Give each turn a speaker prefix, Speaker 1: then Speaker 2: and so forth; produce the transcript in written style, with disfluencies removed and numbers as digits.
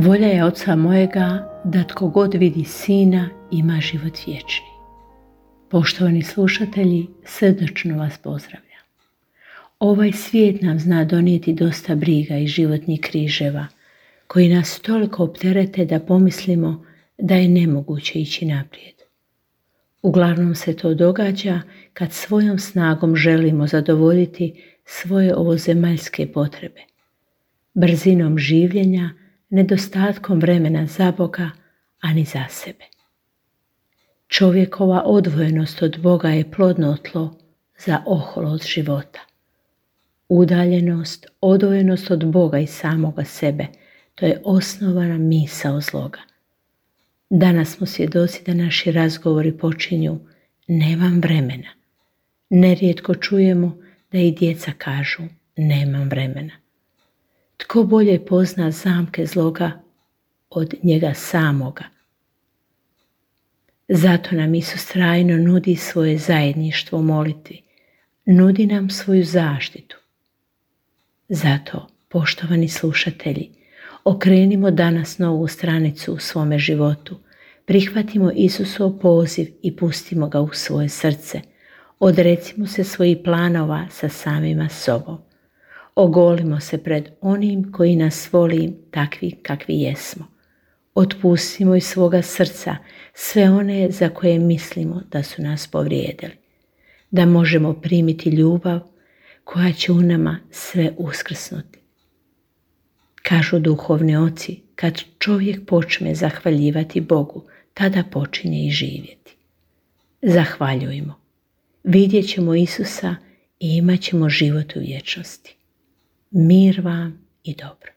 Speaker 1: Volja je Oca mojega da tko god vidi Sina ima život vječni. Poštovani slušatelji, srdačno vas pozdravljam. Ovaj svijet nam zna donijeti dosta briga i životnih križeva, koji nas toliko opterete da pomislimo da je nemoguće ići naprijed. Uglavnom se to događa kad svojom snagom želimo zadovoljiti svoje ovozemaljske potrebe. Brzinom življenja, nedostatkom vremena za Boga, a ni za sebe. Čovjekova odvojenost od Boga je plodno tlo za oholost života. Udaljenost, odvojenost od Boga i samoga sebe, to je osnovana misao zloga. Danas smo svjedoci da naši razgovori počinju nemam vremena. Nerijetko čujemo da i djeca kažu nemam vremena. Tko bolje pozna zamke zloga od njega samoga? Zato nam Isus trajno nudi svoje zajedništvo u molitvi, nudi nam svoju zaštitu. Zato, poštovani slušatelji, okrenimo danas novu stranicu u svome životu, prihvatimo Isusov poziv i pustimo ga u svoje srce, odrecimo se svojih planova sa samima sobom. Ogolimo se pred onim koji nas voli takvi kakvi jesmo. Otpustimo iz svoga srca sve one za koje mislimo da su nas povrijedili. Da možemo primiti ljubav koja će u nama sve uskrsnuti. Kažu duhovni oci, kad čovjek počne zahvaljivati Bogu, tada počinje i živjeti. Zahvaljujmo. Vidjet ćemo Isusa i imat ćemo život u vječnosti. Mir vam i dobro.